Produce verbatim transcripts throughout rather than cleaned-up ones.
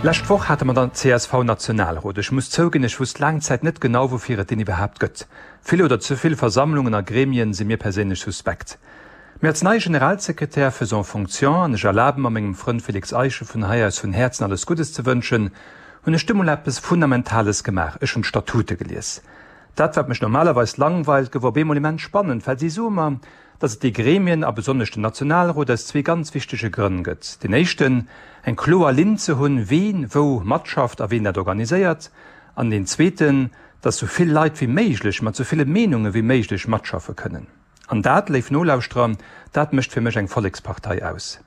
Lescht Woch hate mer den C S V-Nationalrot. Ech muss zouginn, ech wusst laang Zäit net genau, woufir et deen iwwerhaapt gëtt. Vill oder ze vill Versammlungen a Gremien si mir perséinlech suspekt. Mee als neie Generalsekretär faisant fonction, an ech erlabe mer, mengem Frënd Félix Eischen vun hei aus vun Häerzen alles Guddes ze wënschen, hunn ech du mol eppes Fundamentales gemaach: Ech hunn d'Statute gelies. Dat, wat mech normalerweis langweilt, gouf op eemol immens spannend, well si soe mer, dass et déi Gremien a besonnesch den Nationalrot aus zwee ganz wichtege Grënn gëtt. Den éischten, eng kloer Linn ze hunn, wien wou matschafft a wien dat organiséiert, an den zweeten, dass sou vill Leit wéi méiglech mat sou ville Meenunge wéi méiglech matschaffe kënnen. An dat, léif Nolauschterer, dat mécht fir mech eng Vollekspartei aus.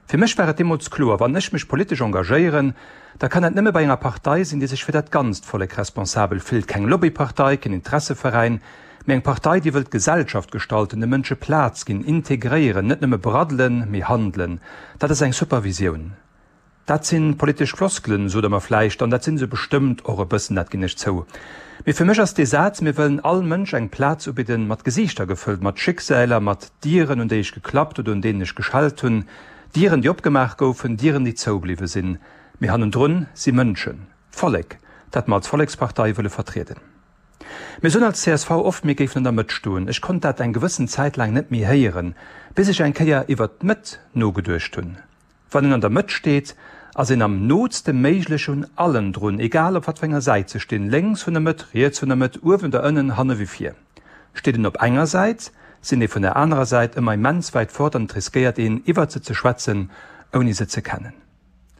Fir mech war et deemools kloer: Wann ech mech politesch engagéieren, da kann dat nëmme bei enger Partei sinn, déi sech fir dat ganzt Vollek responsabel fillt. Keng Lobbypartei, keen Interesseveräin, mee eng Partei, déi wëllt Gesellschaft gestalten, de Mënsche Plaz ginn, integréieren, net nëmme braddelen, mee handelen. Dat ass eng super Visioun. Dat si politesch Floskelen, sot der mer vläicht, an dat sinn se bestëmmt och e bëssen, dat ginn ech zou. Mee fir mech ass dee Saz, mir wëllen all Mënsch eng Plaz ubidden, mat Gesiichter gefëllt, mat Schicksäler, mat Dieren, un déi ech geklappt oder un deenen ech geschellt hunn, Dieren, déi opgemaach goufen, Dieren, déi zoubliwwe sinn. Mee hannendrun si Mënschen, Vollek, dat mer als Vollekspartei wëlle vertrieden. Mir soen als C S V oft, mir géifen an der Mëtt stoen. Ech konnt dat eng gewëssen Zäit laang net méi héieren, bis ech eng Kéier iwwer d'Mëtt nogeduecht hunn. Wann een an der Mëtt steet, ass een am nootste Méiglechen un allen drun, egal op wat fir enger Säit se stinn, lénks vun der Mëtt, riets vun der Mëtt, uewen oder ënnen, hanne wéi vir. Steet een op enger Säit, sinn déi vun der anerer Säit ëmmer immens wäit fort an et riskéiert een, iwwert se ze schwätzen, ouni se ze kennen.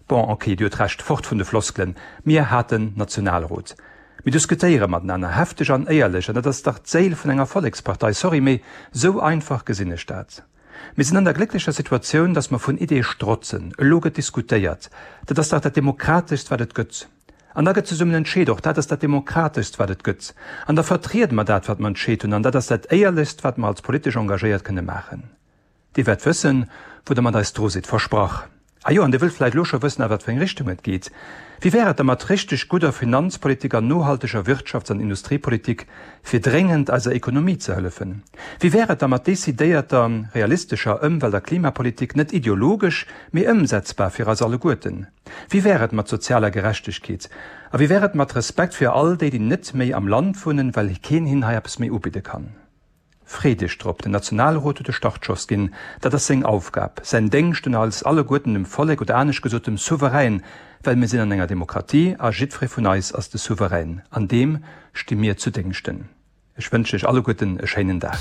Bon, ok, Dir hutt Recht, fort vun de Floskelen, mir haten Nationalrot. Mir diskutéiere matenaner, hefteg an éierlech, an dat ass dach d'Séil vun enger Vollekspartei. Sorry, mee sou einfach gesinn ech dat. Mir sinn an der glécklecher Situatioun, dass mer vun Ideeë strotzen. Elo gëtt diskutéiert. Dat ass dach dat Demokrateschst, wat et gëtt. An da gëtt zesummen entscheet. Och dat ass dat Demokrateschst, wat et gëtt. An da vertriede mer dat, wat mer entscheet hunn. An dat ass dat Éierlechst, wat mer als politesch Engagéiert kënne maachen. Dir wäert wëssen, wou der mat eis dru sidd, versprach. Ah jo, an Dir wëllt vläicht elo scho wëssen, a wat fir eng Richtung et geet. Wéi wär et da mat richteg gudder Finanzpolitik an nohalteger Wirtschafts an Industriepolitik, fir dréngend eiser Ekonomie ze hëllefen? Wéi wär et da mat decidéierter, realistescher Ëmwelt a Klimapolitik, net ideologesch, mee ëmsetzbar fir eis alleguerten? Wéi wär et mat sozialer Gerechtegkeet? A wéi wär et mat Respekt fir all déi, déi net méi am Land wunnen, well keen hinnen hei eppes méi ubidde kann? Freet iech drop, den Nationalrot huet de Startschoss ginn. Dat ass seng Aufgab, säin Déngscht un eis alleguerten, dem Vollek oder anescht gesot dem Souverän, well mir sinn an enger Demokratie a jiddweree vun eis ass de Souverän. An deem sti mir zu Déngschten. Ech wënschen iech alleguerten e schéinen Dag.